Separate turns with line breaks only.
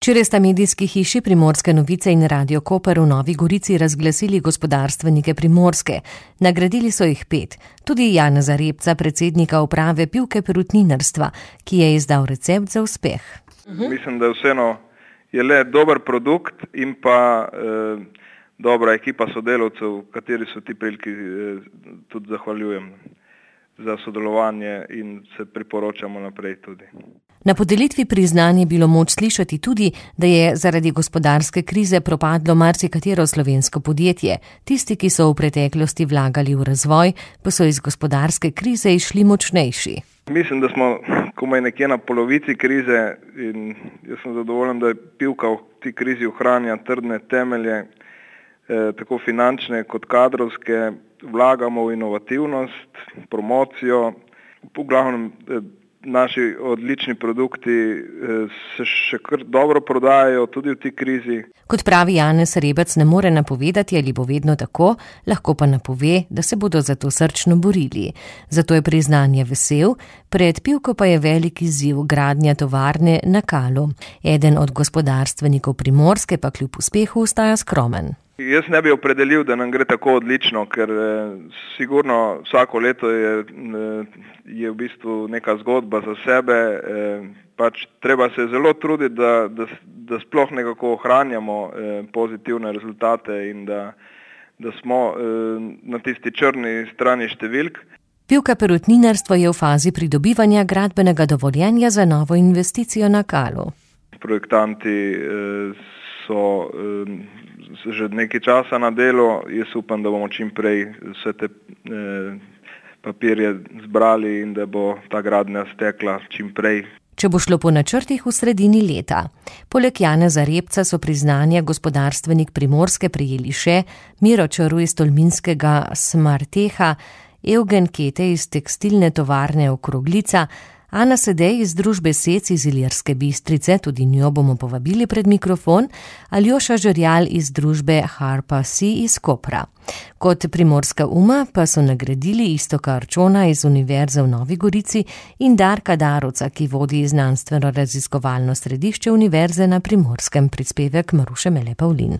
Včeraj sta medijski hiši Primorske novice in Radio Koper v Novi Gorici razglasili gospodarstvenike Primorske. Nagradili so jih 5. Tudi Janeza Repca, predsednika uprave Pivke perutninarstva, ki je izdal recept za uspeh.
Mislim, da vseeno je le dober produkt in pa dobra ekipa sodelavcev, kateri so ti priliki tudi zahvaljujem za sodelovanje in se priporočamo naprej tudi.
Na podelitvi priznanj je bilo moč slišati tudi, da je zaradi gospodarske krize propadlo marsikatero slovensko podjetje. Tisti, ki so v preteklosti vlagali v razvoj, pa so iz gospodarske krize išli močnejši.
Mislim, da smo komaj nekje na polovici krize in jaz sem zadovoljen, da je Pivka v tej krizi ohranja trdne temelje, tako finančne kot kadrovske. Vlagamo v inovativnost, promocijo, v glavnem naši odlični produkti se še kar dobro prodajajo tudi v tej krizi.
Kot pravi Janez Rebec, ne more napovedati, ali bo vedno tako, lahko pa napove, da se bodo za to srčno borili. Zato je priznanje vesel, pred Pivko pa je velik izziv gradnja tovarne na Kalu. Eden od gospodarstvenikov Primorske pa kljub uspehu ostaja skromen.
Jaz ne bi opredelil, da nam gre tako odlično, ker sigurno vsako leto je v bistvu neka zgodba za sebe. Pač treba se zelo truditi, da sploh nekako ohranjamo pozitivne rezultate in da smo na tisti črni strani številk.
Pivka perutninarstvo je v fazi pridobivanja gradbenega dovoljenja za novo investicijo na Kalu.
Projektanti so že nekaj časa na delu. Jaz upam, da bomo čim prej vse te papirje zbrali in da bo ta gradnja stekla čim prej.
Če bo šlo po načrtih v sredini leta. Poleg Janeza Repca so priznanja gospodarstvenik Primorske prejeli še Miro Čaru iz tolminskega Smarteha, Eugen Kete iz tekstilne tovarne Okroglica, Ana Sedej iz družbe Sec iz Ilirske Bistrice, tudi njo bomo povabili pred mikrofon, Aljoša Žerjal iz družbe Harpa Si iz Kopra. Kot Primorska uma pa so nagradili Iztoka Arčona iz Univerze v Novi Gorici in Darka Darovca, ki vodi znanstveno raziskovalno središče Univerze na Primorskem, prispevek Maruše Mele Pavlin.